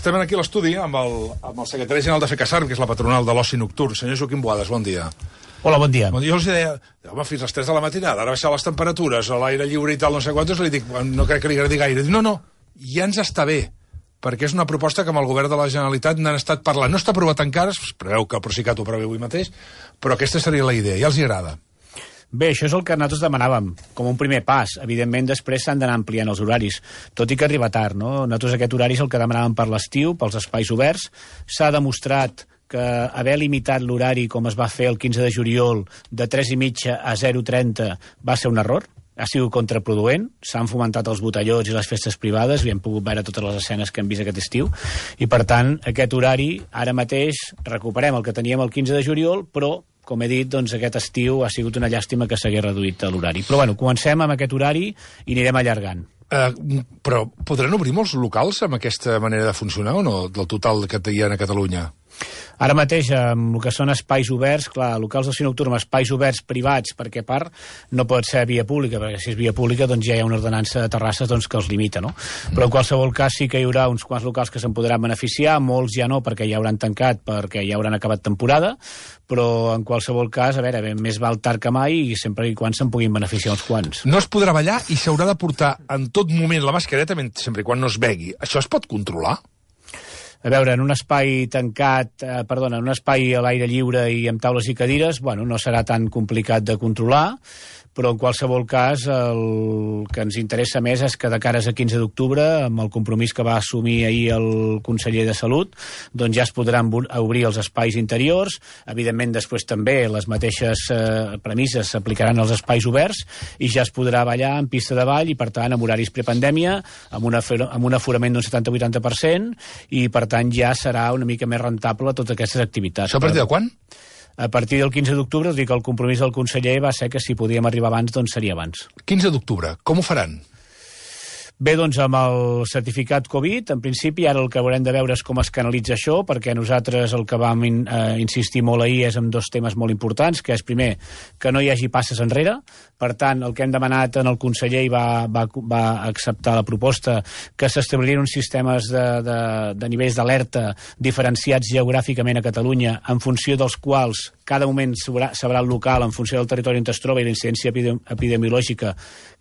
Estem aquí a l'estudi amb el secretari general de FECASARM, que és la patronal de l'oci nocturn. Senyor Joaquim Boades, bon dia. Hola, bon dia. Jo els deia, home, fins a les 3 de la matinada, ara baixar les temperatures, a l'aire lliure i tal, no sé quantos, li dic, no crec que li agradi gaire. Dic, no, ja ens està bé, perquè és una proposta que amb el govern de la Generalitat n'han estat parlant. No està aprovat encara, es preveu que el Procicat ho preveu avui mateix, però aquesta seria la idea, ja els hi agrada. Bé, això és el que nosaltres demanàvem, com un primer pas. Evidentment, després s'han d'anar ampliant els horaris, tot i que arriba tard, no? Nosaltres aquest horari és el que demanàvem per l'estiu, pels espais oberts. S'ha demostrat que haver limitat l'horari, com es va fer el 15 de juliol, de 3:30 a 0:30, va ser un error. Ha sigut contraproduent, s'han fomentat els botellons i les festes privades, i hem pogut veure totes les escenes que hem vist aquest estiu, i per tant, aquest horari, ara mateix, recuperem el que teníem el 15 de juliol, però com he dit, doncs aquest estiu ha sigut una llàstima que s'hagués reduït l'horari. Però bueno, comencem amb aquest horari i anirem allargant. Però podran obrir molts locals amb aquesta manera de funcionar o no, del total que hi ha a Catalunya? Ara mateix, amb el que són espais oberts, clar, locals d'oci nocturn, espais oberts privats, perquè a part no pot ser via pública, perquè si és via pública doncs ja hi ha una ordenança de terrasses doncs, que els limita, no? Però en qualsevol cas sí que hi haurà uns quants locals que se'n podran beneficiar, molts ja no, perquè ja hauran tancat, perquè ja hauran acabat temporada, però en qualsevol cas, a veure, més val tard que mai i sempre i quan se'n puguin beneficiar uns quants. No es podrà ballar i s'haurà de portar en tot moment la mascareta sempre i quan no es begui. Això es pot controlar? A veure, en un espai tancat, en un espai a l'aire lliure i amb taules i cadires, bueno, no serà tan complicat de controlar, però en qualsevol cas el que ens interessa més és que de cares a 15 d'octubre, amb el compromís que va assumir ahir el conseller de Salut, doncs ja es podran obrir els espais interiors. Evidentment, després també les mateixes premisses s'aplicaran als espais oberts i ja es podrà ballar en pista de ball i, per tant, amb horaris prepandèmia, amb un aforament d'un 70-80%, i, per tant, ja serà una mica més rentable totes aquestes activitats. Això a partir de quan? A partir del 15 d'octubre, us dic que el compromís del conseller va ser que si podíem arribar abans, doncs seria abans. 15 d'octubre, com ho faran? Bé, doncs amb el certificat Covid, en principi, ara el que haurem de veure és com es canalitza això, perquè nosaltres el que vam insistir molt ahir és en dos temes molt importants, que és, primer, que no hi hagi passes enrere. Per tant, el que hem demanat en el conseller i va acceptar la proposta, que s'establirien uns sistemes de nivells d'alerta diferenciats geogràficament a Catalunya, en funció dels quals cada moment sabrà el local, en funció del territori on es troba i la incidència epidemiològica,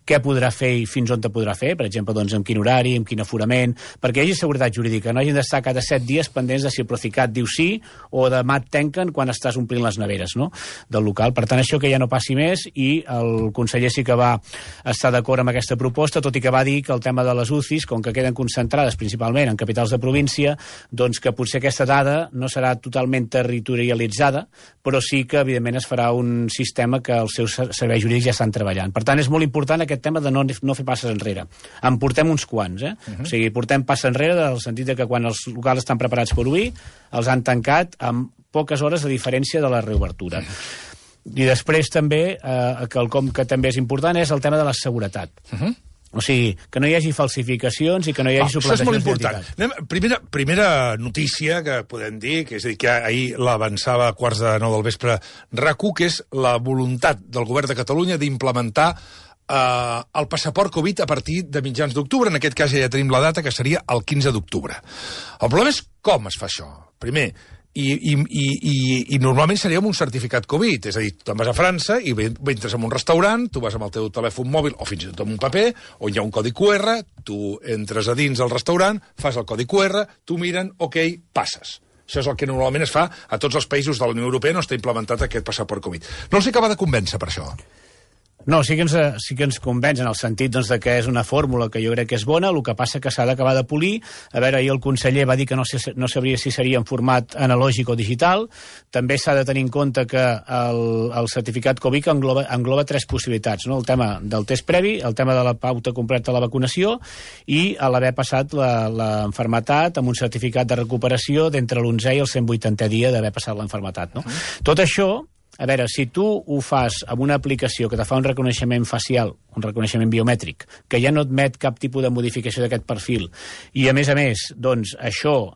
què podrà fer i fins on te podrà fer, per exemple, doncs, amb quin horari, amb quin aforament, perquè hi hagi seguretat jurídica, no hagin d'estar cada 7 dies pendents de si el Procicat diu sí o demà et tanquen quan estàs omplint les neveres, no?, del local. Per tant, això que ja no passi més, i el conseller sí que va estar d'acord amb aquesta proposta, tot i que va dir que el tema de les UCIs, com que queden concentrades principalment en capitals de província, doncs que potser aquesta dada no serà totalment territorialitzada, però sí que, evidentment, es farà un sistema que els seus serveis jurídics ja estan treballant. Per tant, és molt important aquest tema de no fer passes enrere. En portem uns quants, O sigui, portem passes enrere en el sentit de que quan els locals estan preparats per obrir, els han tancat amb poques hores de diferència de la reobertura. I després també, quelcom que també és important, és el tema de la seguretat. O sigui, que no hi hagi falsificacions i que no hi hagi suplantacions d'identitat. Primera notícia que podem dir, que és a dir, que ahir l'avançava a 8:45 del vespre RAC1, que és la voluntat del govern de Catalunya d'implementar el passaport Covid a partir de mitjans d'octubre. En aquest cas ja tenim la data, que seria el 15 d'octubre. El problema és com es fa això. Primer, i normalment seria amb un certificat Covid, és a dir, tu te'n vas a França i entres en un restaurant, tu vas amb el teu telèfon mòbil o fins i tot amb un paper, on hi ha un codi QR, tu entres a dins del restaurant, fas el codi QR, tu miren, ok, passes. Això és el que normalment es fa a tots els països de la Unió Europea, no està implementat aquest passaport Covid. No els acaba de convèncer per això. No, sí que ens convenç en el sentit doncs, de que és una fórmula que jo crec que és bona, el que passa que s'ha d'acabar de polir. A veure, ahir el conseller va dir que no sabria si seria en format analògic o digital. També s'ha de tenir en compte que el certificat Covid engloba 3 possibilitats, no? El tema del test previ, el tema de la pauta completa de la vacunació i l'haver passat l'enfermetat amb un certificat de recuperació d'entre l'11è i el 180è dia d'haver passat l'enfermetat, no? Tot això, a veure, si tu ho fas amb una aplicació que te fa un reconeixement facial, un reconeixement biomètric, que ja no admet cap tipus de modificació d'aquest perfil, i a més, doncs, això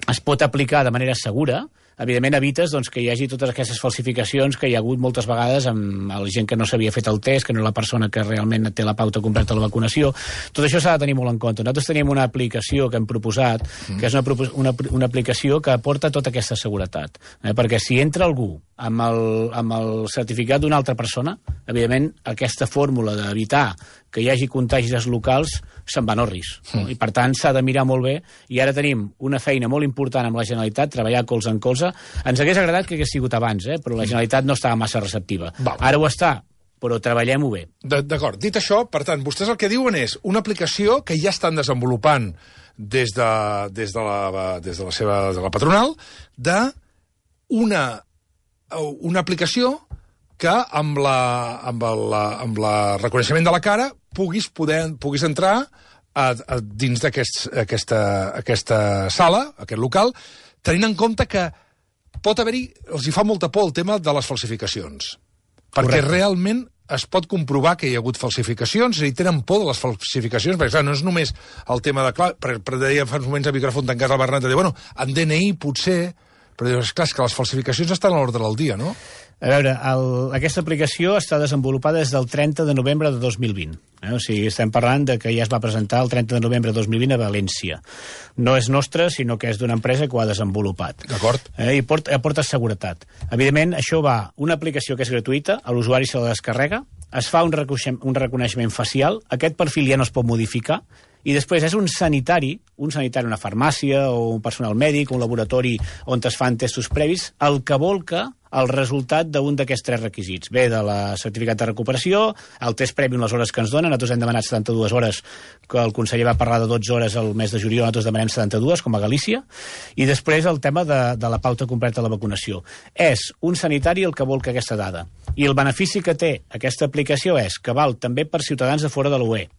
es pot aplicar de manera segura, evidentment evites doncs, que hi hagi totes aquestes falsificacions que hi ha hagut moltes vegades amb la gent que no s'havia fet el test, que no és la persona que realment té la pauta completa de la vacunació. Tot això s'ha de tenir molt en compte. Nosaltres tenim una aplicació que hem proposat, que és una aplicació que aporta tota aquesta seguretat. Perquè si entra algú amb el certificat d'una altra persona, evidentment aquesta fórmula d'evitar que hi hagi contagis locals se'n va a Norris. I per tant s'ha de mirar molt bé, i ara tenim una feina molt important amb la Generalitat, treballar colze en colze. Ens hagués agradat que hagués sigut abans, però la Generalitat no estava massa receptiva. Ara ho està, però treballem-ho bé. D'acord. Dit això, per tant, vostès el que diuen és una aplicació que ja estan desenvolupant des de la patronal una aplicació que amb el reconeixement de la cara puguis entrar dins d'aquesta sala, aquest local, tenint en compte que pot haver-hi, els hi fa molta por el tema de les falsificacions. Perquè realment es pot comprovar que hi ha hagut falsificacions, i tenen por de les falsificacions, perquè clar, no és només el tema de... Clar, deia fa uns moments a micròfon tancat al Bernat, de dir, bueno, en DNI potser, però dius, clar, és que les falsificacions estan a l'ordre del dia, no? A veure, aquesta aplicació està desenvolupada des del 30 de novembre de 2020. O sigui, estem parlant de que ja es va presentar el 30 de novembre de 2020 a València. No és nostra, sinó que és d'una empresa que ho ha desenvolupat. D'acord. I aporta seguretat. Evidentment, això va, una aplicació que és gratuïta, a l'usuari se la descarrega, es fa un reconeixement facial, aquest perfil ja no es pot modificar, i després és un sanitari, una farmàcia o un personal mèdic, un laboratori on es fan testos previs, el que volca el resultat d'un d'aquests 3 requisits. Ve de la certificat de recuperació, el test previ en les hores que ens donen, nosaltres hem demanat 72 hores, que el conseller va parlar de 12 hores al mes de juliol, nosaltres demanem 72, com a Galícia, i després el tema de la pauta completa de la vacunació. És un sanitari el que volca aquesta dada. I el benefici que té aquesta aplicació és que val també per ciutadans de fora de l'UE.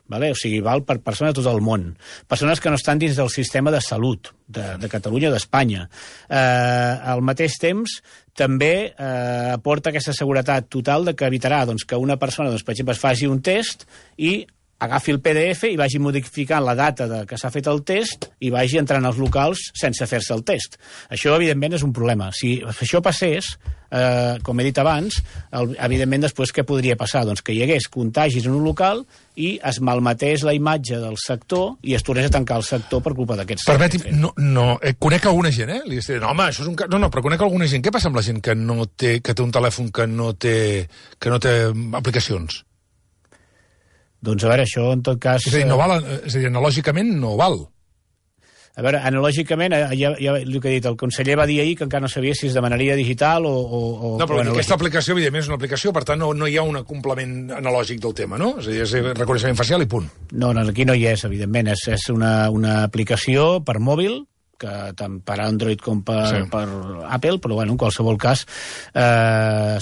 Vale? O sigui, val per persones de tot el món. Persones que no estan dins del sistema de salut de Catalunya o d'Espanya. Al mateix temps, també aporta aquesta seguretat total de que evitarà que una persona, per exemple, es faci un test i agafi el PDF i vagi modificant la data que s'ha fet el test i vagi entrant als locals sense fer-se el test. Això, evidentment, és un problema. Si això passés, com he dit abans, evidentment, després què podria passar? Doncs que hi hagués contagis en un local i es malmetés la imatge del sector i es tornés a tancar el sector per culpa d'aquests... Permeti'm, conec alguna gent, Li diré, no, home, això és un... No, però conec alguna gent. Què passa amb la gent que té un telèfon que no té aplicacions? Doncs a veure, això en tot cas... És a dir, no val, analògicament no val. A veure, analògicament, ja el que he dit, el conseller va dir ahir que encara no sabia si es demanaria digital o... No, però aquesta aplicació, evidentment, és una aplicació, per tant, no hi ha un complement analògic del tema, no? És a dir, és reconeixement facial i punt. No, aquí no hi és, evidentment. És una aplicació per mòbil, que tant per Android com per Apple, però bueno, en qualsevol cas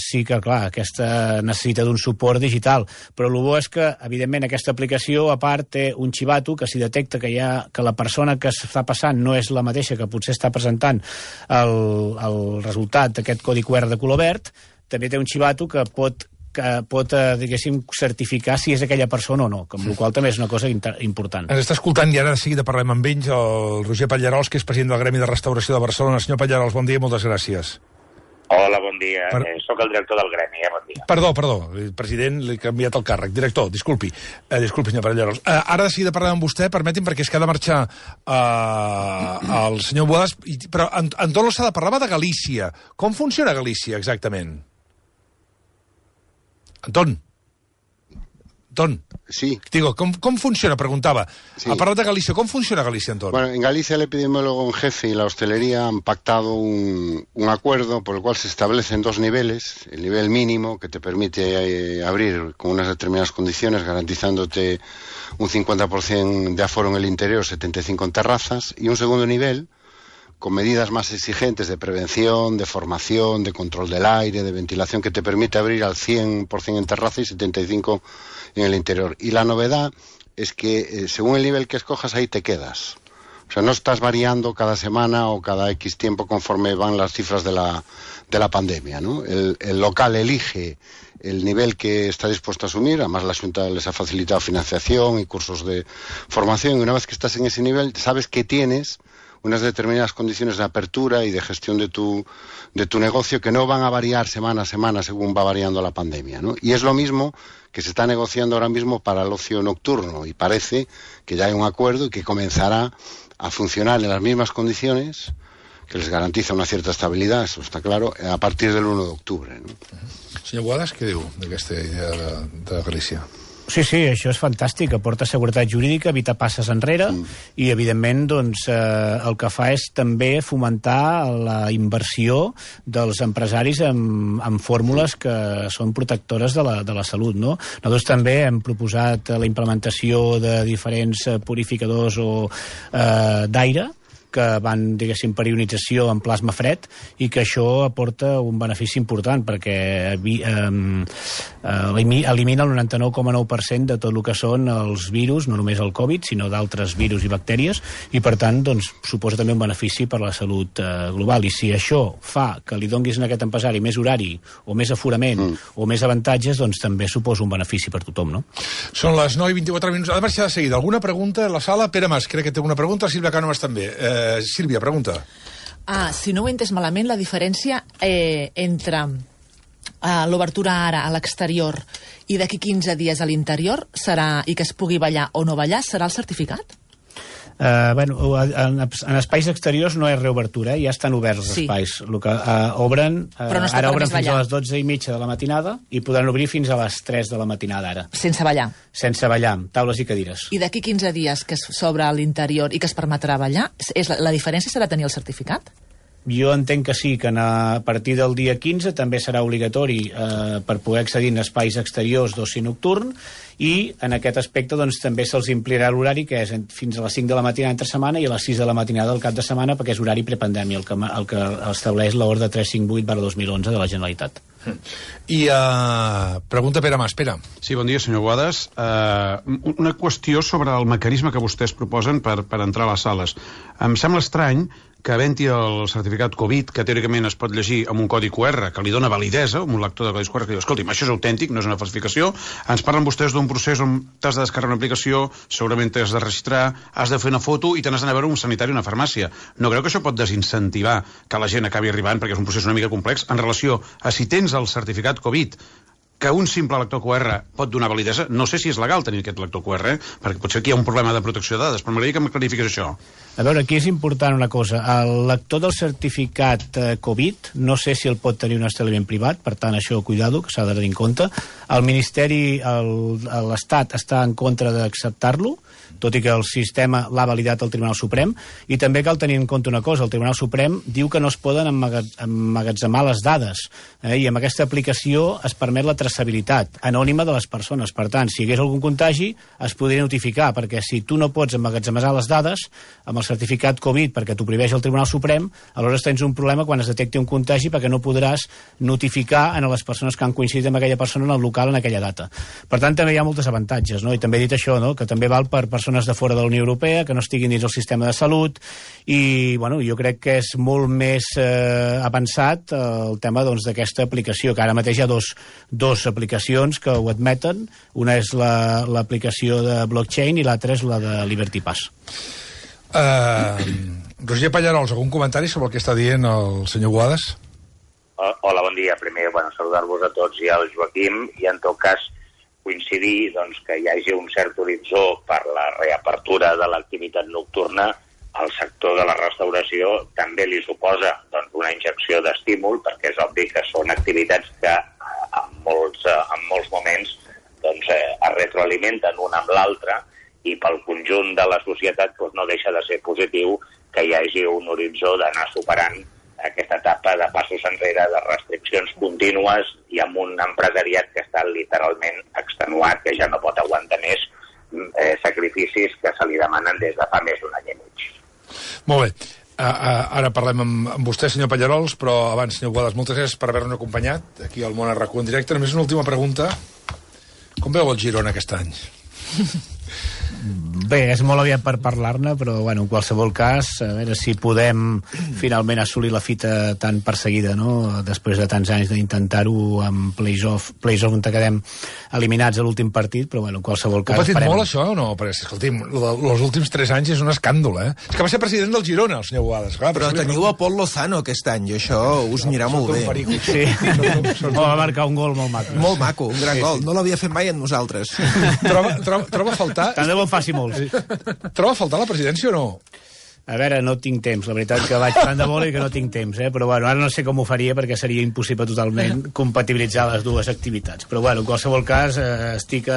sí que, clar, aquesta necessita d'un suport digital, però el bo és que, evidentment, aquesta aplicació, a part, té un xivato que si detecta que la persona que està passant no és la mateixa que potser està presentant el resultat d'aquest codi QR de color verd, també té un xivato que pot diguéssim, certificar si és aquella persona o no, amb la qual també és una cosa important. Ens està escoltant i ara de seguida parlem amb ells, el Roger Pallarols, que és president del Gremi de Restauració de Barcelona. Senyor Pallarols, bon dia i moltes gràcies. Hola, bon dia. Soc el director del Gremi, bon dia. Perdó, president, li he canviat el càrrec. Director, disculpi, senyor Pallarols. Ara de seguida parlem amb vostè, permeti'm, perquè és que ha de marxar el senyor Boades, però Anton Losada parlava de Galícia. Com funciona Galícia, exactament? Anton. Sí. Digo, ¿cómo funciona? Preguntaba. Sí. A parlar de Galicia, ¿cómo funciona Galicia, Anton? Bueno, en Galicia el epidemiólogo en jefe y la hostelería han pactado un acuerdo por el cual se establecen 2 niveles. El nivel mínimo, que te permite abrir con unas determinadas condiciones, garantizándote un 50% de aforo en el interior, 75 en terrazas, y un segundo nivel, con medidas más exigentes de prevención, de formación, de control del aire, de ventilación, que te permite abrir al 100% en terraza y 75% en el interior. Y la novedad es que según el nivel que escojas, ahí te quedas. O sea, no estás variando cada semana o cada X tiempo conforme van las cifras de la pandemia, ¿no? El local elige el nivel que está dispuesto a asumir, además la Junta les ha facilitado financiación y cursos de formación, y una vez que estás en ese nivel, sabes que tienes unas determinadas condiciones de apertura y de gestión de tu negocio que no van a variar semana a semana según va variando la pandemia, ¿no? Y es lo mismo que se está negociando ahora mismo para el ocio nocturno, y parece que ya hay un acuerdo y que comenzará a funcionar en las mismas condiciones, que les garantiza una cierta estabilidad, eso està claro, a partir del 1 d'octubre. No? Senyor Boades, què diu d'aquesta idea de Galícia? Sí, això és fantàstic, aporta seguretat jurídica, evita passes enrere i, evidentment, doncs, el que fa és també fomentar la inversió dels empresaris en fórmules que són protectores de la salut, no? Nosaltres també hem proposat la implementació de diferents purificadors d'aire que van, diguéssim, per ionització en plasma fred, i que això aporta un benefici important perquè elimina el 99,9% de tot el que són els virus, no només el Covid, sinó d'altres virus i bactèries, i per tant doncs, suposa també un benefici per a la salut global. I si això fa que li donguis a aquest empresari més horari o més aforament o més avantatges, doncs també suposa un benefici per tothom, no? Són les 9:24. Ha de marxar de seguida. Alguna pregunta a la sala? Pere Mas, crec que té una pregunta. Sílvia Cánovas també. Sílvia, pregunta. Si no ho he entès malament, la diferència entre l'obertura ara a l'exterior i d'aquí 15 dies a l'interior serà, i que es pugui ballar o no ballar, serà el certificat? En espais exteriors no és reobertura, ja estan oberts els espais. El que obren, ara obren fins a les 12:30 de la matinada i podran obrir fins a les 3 de la matinada ara. Sense ballar? Sense ballar, taules i cadires. I d'aquí 15 dies que s'obre a l'interior i que es permetrà ballar, la diferència serà tenir el certificat? Jo entenc que sí, que a partir del dia 15 també serà obligatori per poder accedir en espais exteriors d'oci nocturn, i en aquest aspecte doncs, també se'ls ampliarà l'horari, que és fins a les 5 de la matinada entre setmana i a les 6 de la matinada del cap de setmana, perquè és horari prepandèmia, el que estableix l'ordre 358/2011 de la Generalitat. I pregunta Pere Mas. Pere. Sí, bon dia, senyor Boades. Una qüestió sobre el mecanisme que vostès proposen per entrar a les sales. Em sembla estrany que havent-hi el certificat Covid, que teòricament es pot llegir amb un codi QR, que li dona validesa, amb un lector de codis QR, que diu, escolti'm, això és autèntic, no és una falsificació, ens parlen vostès d'un procés on t'has de descarregar una aplicació, segurament t'has de registrar, has de fer una foto i te n'has d'anar a veure un sanitari o una farmàcia. No creu que això pot desincentivar que la gent acabi arribant, perquè és un procés una mica complex, en relació a si tens el certificat Covid, que un simple lector QR pot donar validesa? No sé si és legal tenir aquest lector QR, perquè potser aquí hi ha un problema de protecció de dades, però m'agradaria que em clarifiqués això. A veure, aquí és important una cosa. El lector del certificat Covid, no sé si el pot tenir un establiment privat, per tant, això, cuidado, que s'ha de tenir en compte. El Ministeri, l'Estat, està en contra d'acceptar-lo, tot i que el sistema l'ha validat el Tribunal Suprem, i també cal tenir en compte una cosa, el Tribunal Suprem diu que no es poden emmagatzemar les dades, i amb aquesta aplicació es permet la traçabilitat anònima de les persones. Per tant, si hi hagués algun contagi, es podria notificar, perquè si tu no pots emmagatzemar les dades amb el certificat Covid perquè t'ho prohibeix el Tribunal Suprem, aleshores tens un problema quan es detecti un contagi, perquè no podràs notificar a les persones que han coincidit amb aquella persona en el local en aquella data. Per tant, també hi ha molts avantatges, no? I també he dit això, no? Que també val per persones de fora de la Unió Europea, que no estiguin dins el sistema de salut, i bueno, jo crec que és molt més avançat el tema d'aquesta aplicació, que ara mateix hi ha dos aplicacions que ho admeten. Una és l'aplicació de blockchain i l'altra és la de Liberty Pass. Roger Pallarols, algun comentari sobre el que està dient el senyor Boades? Hola, bon dia. Primer, saludar-vos a tots i al Joaquim, i en tot cas coincidir que hi hagi un cert horitzó per la reapertura de l'activitat nocturna. Al sector de la restauració també li suposa una injecció d'estímul, perquè és obvi que són activitats que en molts moments es retroalimenten una amb l'altra, i pel conjunt de la societat no deixa de ser positiu que hi hagi un horitzó d'anar superant aquesta etapa de passos enrere, de restriccions contínues, i amb un empresariat que està literalment extenuat, que ja no pot aguantar més sacrificis que se li demanen des de fa més d'un any i mig. Molt bé. Ara parlem amb vostè, senyor Pallarols, però abans, senyor Boades, moltes gràcies per haver-nos acompanyat aquí al Món a RAC1 en directe. Només una última pregunta. Com veu el Girona aquest any? Bé, és molt aviat per parlar-ne, però bueno, en qualsevol cas, a veure si podem finalment assolir la fita tan perseguida, no? Després de tants anys d'intentar-ho amb playoff on quedem eliminats a l'últim partit, però bueno, en qualsevol cas... Ho ha patit molt, això, o no? Perquè, escolti'm, els últims 3 anys és un escàndol, eh? És que va ser president del Girona, el senyor Boades. Clar, però teniu a Pol Lozano aquest any, i això us anirà molt bé. Sí, va marcar un gol molt maco. Molt maco, un gran gol. No l'havia fet mai en nosaltres. Troba a faltar... Tant de bo faci molts. Troba a faltar la presidència o no? A veure, no tinc temps. La veritat que vaig tant de bola i que no tinc temps, però bueno, ara no sé com ho faria perquè seria impossible totalment compatibilitzar les dues activitats. Però bueno, en qualsevol cas, estic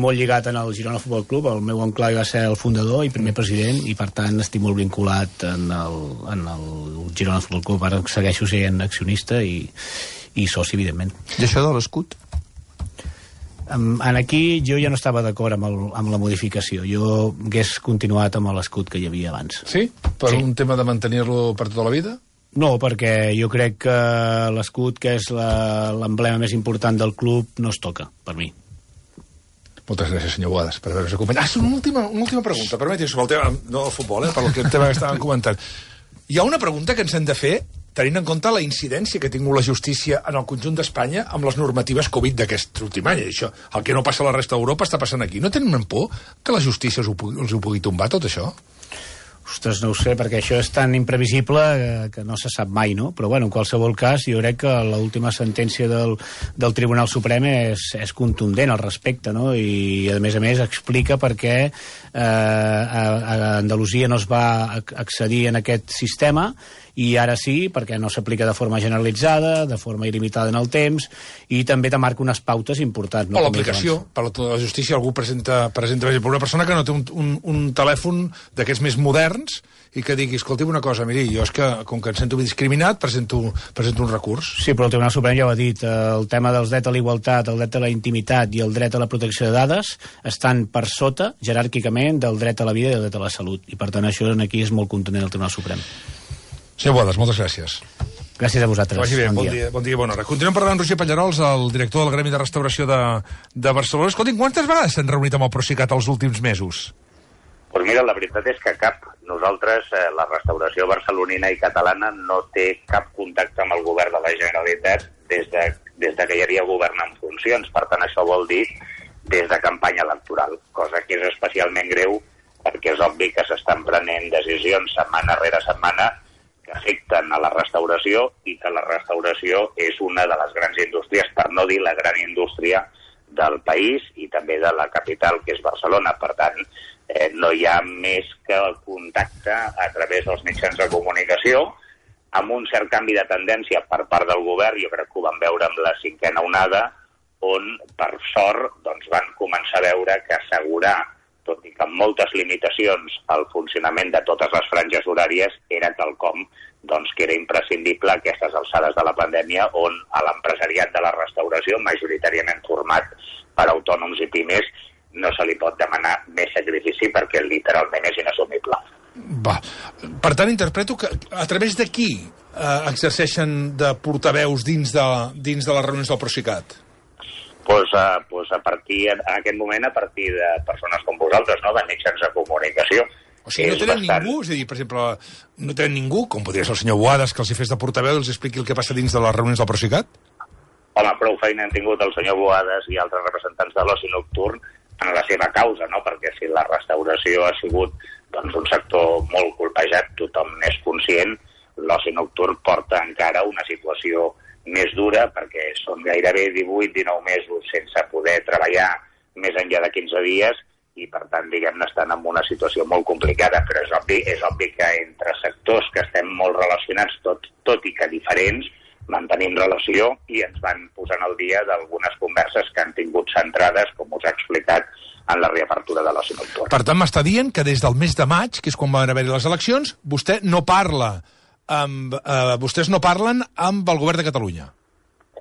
molt lligat en el Girona Futbol Club. El meu oncle va ser el fundador i primer president i per tant estic molt vinculat en el Girona Futbol Club. Ara segueixo sent accionista i soci, evidentment. I això de l'escut? Aquí jo ja no estava d'acord amb la modificació. Jo hagués continuat amb l'escut que hi havia abans. Sí? Per un tema de mantenir-lo per tota la vida? No, perquè jo crec que l'escut, que és l'emblema més important del club, no es toca, per mi. Moltes gràcies, senyor Boades, per haver-nos acompanyat. Una última pregunta, permeti, sobre el tema, no del futbol, per el tema que estàvem comentant. Hi ha una pregunta que ens hem de fer tenint en compte la incidència que ha tingut la justícia en el conjunt d'Espanya amb les normatives Covid d'aquest últim any. Això, el que no passa a la resta d'Europa està passant aquí. No tenen por que la justícia els ho pugui tombar, tot això? Ostres, no ho sé, perquè això és tan imprevisible que no se sap mai, no? Però, bueno, en qualsevol cas, jo crec que l'última sentència del Tribunal Suprem és contundent al respecte, no? I, a més, explica per què a Andalusia no es va accedir en aquest sistema i ara sí, perquè no s'aplica de forma generalitzada, de forma il·limitada en el temps, i també te marca unes pautes importants. No? O l'aplicació, per la justícia, algú presenta per exemple, una persona que no té un telèfon d'aquests més moderns i que digui, escolti'm una cosa, miri, jo és que, com que em sento discriminat, presento un recurs. Sí, però el Tribunal Suprem ja ho ha dit, el tema dels drets a la igualtat, el dret a la intimitat i el dret a la protecció de dades estan per sota, jeràrquicament, del dret a la vida i del dret a la salut, i per tant això aquí és molt contundent el Tribunal Suprem. Senyor Boades, moltes gràcies. Gràcies a vosaltres. Vagi bé, bon dia i bona hora. Continuem parlant amb Roger Pallarols, el director del Gremi de Restauració de Barcelona. Escolti'm, quantes vegades s'han reunit amb el Procicat els últims mesos? Doncs mira, la veritat és que cap. Nosaltres, la restauració barcelonina i catalana, no té cap contacte amb el govern de la Generalitat des de que hi havia govern en funcions. Per tant, això vol dir des de campanya electoral, cosa que és especialment greu perquè és obvi que s'estan prenent decisions setmana rere setmana que afecten a la restauració i que la restauració és una de les grans indústries, per no dir la gran indústria del país i també de la capital, que és Barcelona. Per tant, no hi ha més que el contacte a través dels mitjans de comunicació, amb un cert canvi de tendència per part del govern, jo crec que ho vam veure amb la 5a onada, on, per sort, doncs, van començar a veure que assegurar, tot i que amb moltes limitacions, el funcionament de totes les franges horàries era quelcom doncs, que era imprescindible a aquestes alçades de la pandèmia, on a l'empresariat de la restauració, majoritàriament format per autònoms i pimes, no se li pot demanar més sacrifici perquè literalment és inassumible. Va. Per tant, interpreto que a través de qui exerceixen de portaveus dins de les reunions del Procicat? Pues a partir, en aquest moment, a partir de persones com vosaltres, no?, de mitjans de comunicació. O sigui, no tenen ningú? És a dir, per exemple, no tenen ningú, com podria ser el senyor Boades, que els hi fes de portaveu i els expliqui el que passa dins de les reunions del Procicat? Home, prou feina han tingut el senyor Boades i altres representants de l'oci nocturn en la seva causa, no?, perquè si la restauració ha sigut doncs, un sector molt colpejat, tothom n'és conscient, l'oci nocturn porta encara una situació més dura, perquè són gairebé 18-19 mesos sense poder treballar més enllà de 15 dies i, per tant, diguem-ne, estan en una situació molt complicada, però és obvi que entre sectors que estem molt relacionats, tot i que diferents, mantenim relació i ens van posant al dia d'algunes converses que han tingut centrades, com us he explicat, en la reapertura de l'oci nocturn. Per tant, m'està dient que des del mes de maig, que és quan van haver-hi les eleccions, vostè no parla vostès no parlen amb el govern de Catalunya.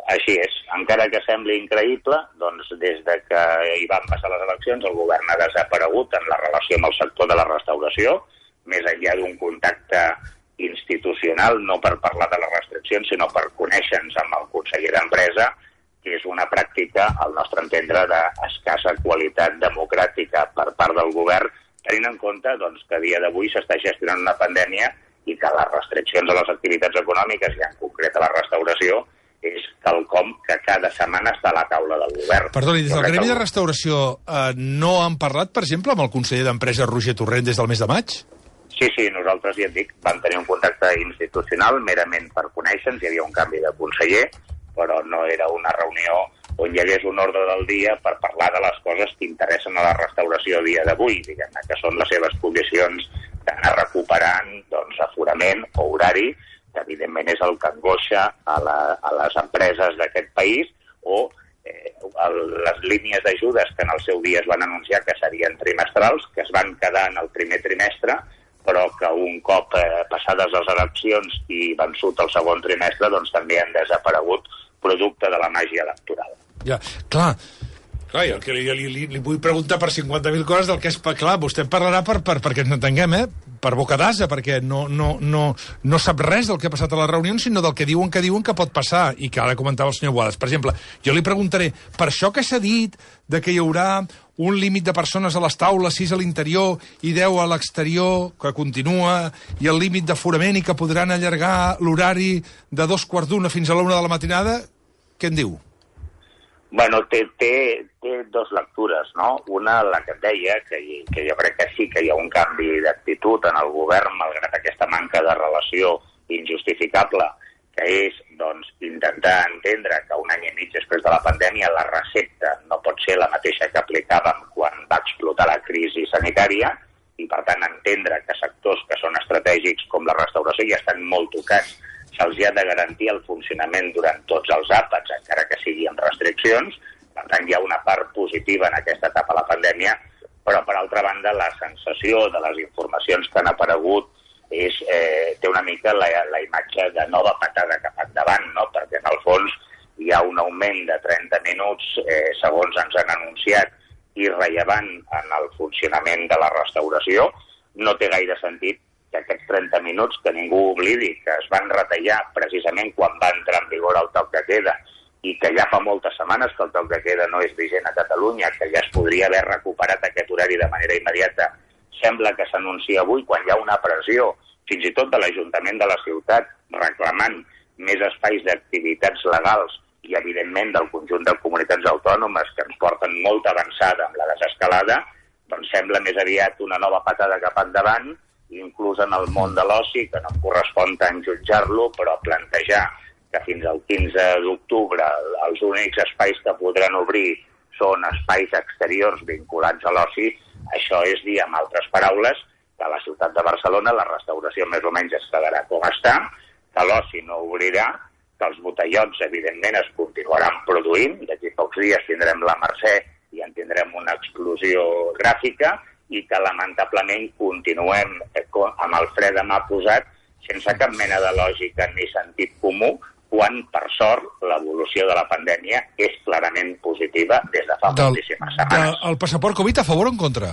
Així és. Encara que sembli increïble, doncs des de que hi van passar les eleccions el govern ha desaparegut en la relació amb el sector de la restauració, més enllà d'un contacte institucional, no per parlar de les restriccions, sinó per conèixer-nos amb el conseller d'Empresa, que és una pràctica, al nostre entendre, d'escassa qualitat democràtica per part del govern, tenint en compte doncs, que a dia d'avui s'està gestionant una pandèmia i que les restriccions a les activitats econòmiques, i en concret a la restauració, és quelcom que cada setmana està a la taula del govern. Perdoni, des del Gremi de Restauració no han parlat, per exemple, amb el conseller d'Empresa Roger Torrent des del mes de maig? Sí, nosaltres, ja et dic, vam tenir un contacte institucional merament per conèixer-nos, hi havia un canvi de conseller, però no era una reunió on hi hagués un ordre del dia per parlar de les coses que interessen a la restauració a dia d'avui, diguem-ne, que són les seves condicions d'anar recuperant doncs, aforament o horari, que evidentment és el que angoixa a les empreses d'aquest país, o les línies d'ajudes que en el seu dia es van anunciar que serien trimestrals, que es van quedar en el primer trimestre, però que un cop passades les eleccions i vençut el segon trimestre, doncs també han desaparegut producte de la màgia electoral. Ja, clar, jo que li vull preguntar per 50.000 coses del que és... Clar, vostè parlarà perquè ens entenguem, per boca d'ase, perquè no sap res del que ha passat a les reunions, sinó del que diuen que pot passar, i que ara comentava el senyor Boades. Per exemple, jo li preguntaré, per això que s'ha dit de que hi haurà un límit de persones a les taules, 6 a l'interior i 10 a l'exterior, que continua, i el límit d'aforament i que podran allargar l'horari de 2:45 fins a la 1 de la matinada, què en diu? Bueno, té dos lectures, no? Una, la que et deia, que jo crec que sí que hi ha un canvi d'actitud en el govern, malgrat aquesta manca de relació injustificable, que és doncs, intentar entendre que un any i mig després de la pandèmia la recepta no pot ser la mateixa que aplicàvem quan va explotar la crisi sanitària, i per tant entendre que sectors que són estratègics com la restauració ja estan molt tocats, se'ls ha de garantir el funcionament durant tots els àpats, encara que sigui amb restriccions. Per tant, hi ha una part positiva en aquesta etapa de la pandèmia, però, per altra banda, la sensació de les informacions que han aparegut té una mica la imatge de nova patada cap endavant, no? Perquè, en el fons, hi ha un augment de 30 minuts, segons ens han anunciat, irrellevant en el funcionament de la restauració. No té gaire sentit que aquests 30 minuts, que ningú oblidi, que es van retallar precisament quan va entrar en vigor el toc de queda, i que ja fa moltes setmanes que el toc de queda no és vigent a Catalunya, que ja es podria haver recuperat aquest horari de manera immediata, sembla que s'anuncia avui quan hi ha una pressió, fins i tot de l'Ajuntament de la ciutat, reclamant més espais d'activitats legals i, evidentment, del conjunt de comunitats autònomes que ens porten molt avançada amb la desescalada, doncs sembla més aviat una nova patada cap endavant, inclús en el món de l'oci, que no em correspon tant jutjar-lo, però plantejar que fins al 15 d'octubre els únics espais que podran obrir són espais exteriors vinculats a l'oci, això és dir, amb altres paraules, que a la ciutat de Barcelona la restauració més o menys es quedarà com està, que l'oci no obrirà, que els botellots, evidentment, es continuaran produint, d'aquí pocs dies tindrem la Mercè i en tindrem una explosió gràfica, i que lamentablement continuem amb el fre de mà posat sense cap mena de lògica ni sentit comú, quan, per sort, l'evolució de la pandèmia és clarament positiva des de fa moltíssimes setmanes. El passaport Covid a favor o en contra?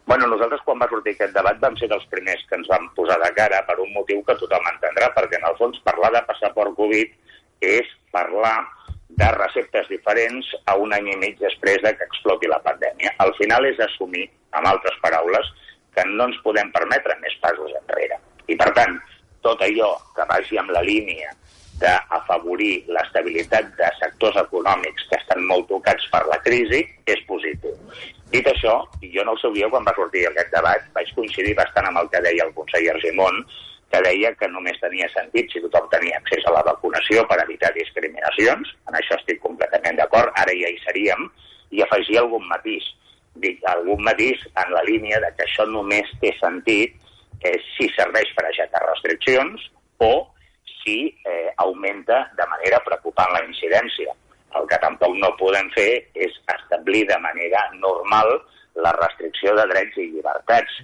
Bueno, nosaltres quan va sortir aquest debat vam ser dels primers que ens vam posar de cara per un motiu que tothom entendrà, perquè en el fons parlar de passaport Covid és parlar de receptes diferents a un any i mig després de que exploti la pandèmia. Al final és assumir, amb altres paraules, que no ens podem permetre més passos enrere. I, per tant, tot allò que vagi amb la línia d'afavorir l'estabilitat de sectors econòmics que estan molt tocats per la crisi és positiu. Dit això, jo en el seu dia, quan va sortir aquest debat, vaig coincidir bastant amb el que deia el conseller Argimon, que deia que només tenia sentit si tothom tenia accés a la vacunació per evitar discriminacions. En això estic completament d'acord, ara ja hi seríem, i afegir algun matís. Dic, algun matís en la línia de que això només té sentit si serveix per aixecar restriccions o si augmenta de manera preocupant la incidència. El que tampoc no podem fer és establir de manera normal la restricció de drets i llibertats.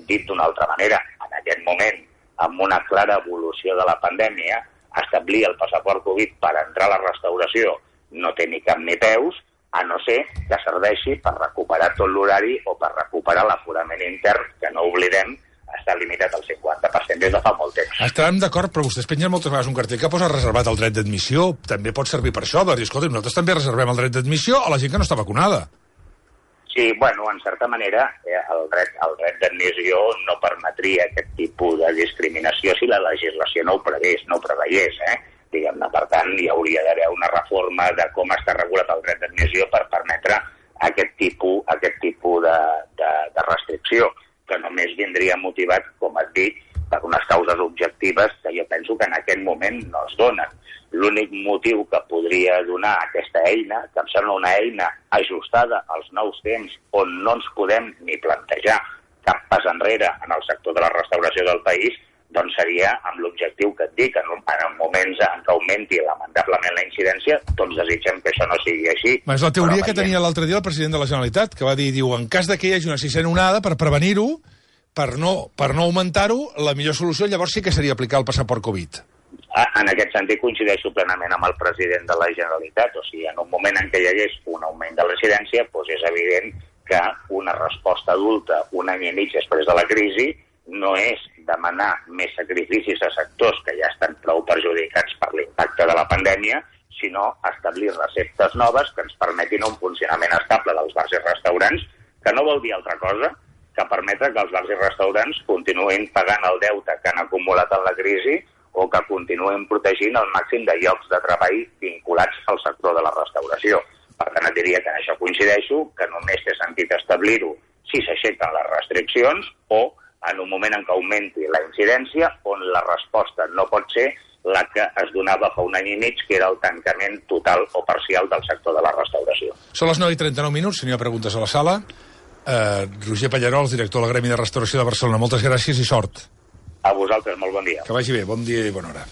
Dit d'una altra manera, en aquest moment, amb una clara evolució de la pandèmia, establir el passaport Covid per entrar a la restauració no té ni cap ni peus, a no ser que serveixi per recuperar tot l'horari o per recuperar l'aforament intern, que no oblidem, està està limitat al 50% des de fa molt temps. Estarem d'acord, però vostès pengen moltes vegades un cartell que posa reservat el dret d'admissió. També pot servir per això, de dir, escolta, nosaltres també reservem el dret d'admissió a la gent que no està vacunada. Sí, bueno, en certa manera, el dret d'admissió no permetria aquest tipus de discriminació si la legislació no ho preveiés, diguem-ne. Per tant, hi hauria d'haver una reforma de com està regulat el dret d'admissió per permetre aquest tipus de restricció, que només vindria motivat, com et dic, per unes causes objectives que jo penso que en aquest moment no es donen. L'únic motiu que podria donar aquesta eina, que em sembla una eina ajustada als nous temps, on no ens podem ni plantejar cap pas enrere en el sector de la restauració del país, doncs seria amb l'objectiu que et dic, en moments en què augmenti lamentablement la incidència, tots desitgem que això no sigui així. És la teoria que tenia l'altre dia el president de la Generalitat, que va dir, en cas que hi hagi una sisena onada, per prevenir-ho, per no augmentar-ho, la millor solució llavors sí que seria aplicar el passaport Covid. En aquest sentit coincideixo plenament amb el president de la Generalitat. O sigui, en un moment en què hi hagués un augment de l'incidència, doncs és evident que una resposta adulta un any i mig després de la crisi no és demanar més sacrificis a sectors que ja estan prou perjudicats per l'impacte de la pandèmia, sinó establir receptes noves que ens permetin un funcionament estable dels bars i restaurants, que no vol dir altra cosa que permetre que els bars i restaurants continuïn pagant el deute que han acumulat en la crisi o que continuen protegint el màxim de llocs de treball vinculats al sector de la restauració. Per tant, et diria que en això coincideixo, que només té sentit establir-ho si s'aixequen les restriccions o en un moment en què augmenti la incidència, on la resposta no pot ser la que es donava fa un any i mig, que era el tancament total o parcial del sector de la restauració. Són les 9:39, si no hi ha preguntes a la sala. Roger Pallarols, director del Gremi de Restauració de Barcelona, moltes gràcies i sort. A vosaltres, molt bon dia. Que vagi bé, bon dia i bona hora.